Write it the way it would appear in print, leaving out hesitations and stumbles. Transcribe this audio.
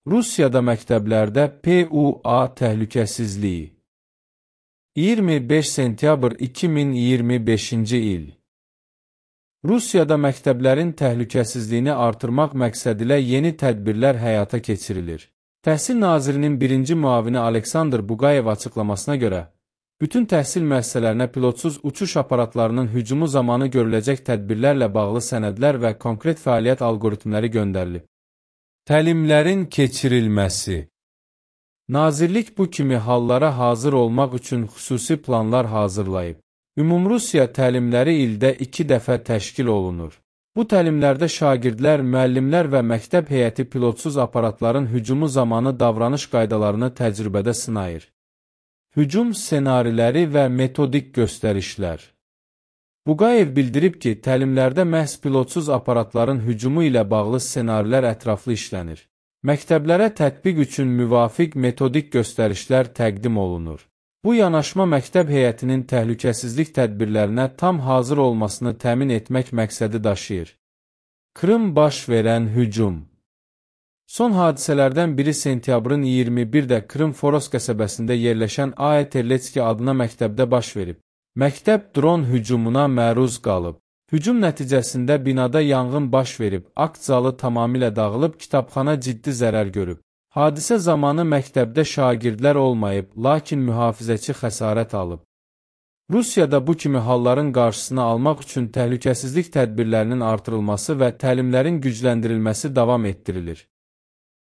Rusiyada məktəblərdə PUA təhlükəsizliyi. 25 sentyabr 2025-ci il. Rusiyada məktəblərin təhlükəsizliyini artırmaq məqsədilə yeni tədbirlər həyata keçirilir. Təhsil nazirinin birinci müavini Aleksandr Buqayev açıqlamasına görə, bütün təhsil müəssisələrinə pilotsuz uçuş aparatlarının hücumu zamanı görüləcək tədbirlərlə bağlı sənədlər və konkret fəaliyyət alqoritmləri göndərilib. Təlimlərin keçirilməsi. Nazirlik bu kimi hallara hazır olmaq üçün xüsusi planlar hazırlayıb. Ümumrusiya təlimləri ildə 2 dəfə təşkil olunur. Bu təlimlərdə şagirdlər, müəllimlər və məktəb heyəti pilotsuz aparatların hücumu zamanı davranış qaydalarını təcrübədə sınayır. Hücum ssenariləri və metodik göstərişlər. Buqayev bildirib ki, təlimlərdə məhz pilotsuz aparatların hücumu ilə bağlı ssenarilər ətraflı işlənir. Məktəblərə tətbiq üçün müvafiq metodik göstərişlər təqdim olunur. Bu yanaşma məktəb heyətinin təhlükəsizlik tədbirlərinə tam hazır olmasını təmin etmək məqsədi daşıyır. Krım baş verən hücum. Son hadisələrdən biri sentyabrın 21-də Krım Foros qəsəbəsində yerləşən A.E. Terletski adına məktəbdə baş verib. Məktəb dron hücumuna məruz qalıb. Hücum nəticəsində binada yanğın baş verib, akt zalı tamamilə dağılıb, kitabxana ciddi zərər görüb. Hadisə zamanı məktəbdə şagirdlər olmayıb, lakin mühafizəçi xəsarət alıb. Rusiyada bu kimi halların qarşısını almaq üçün təhlükəsizlik tədbirlərinin artırılması və təlimlərin gücləndirilməsi davam etdirilir.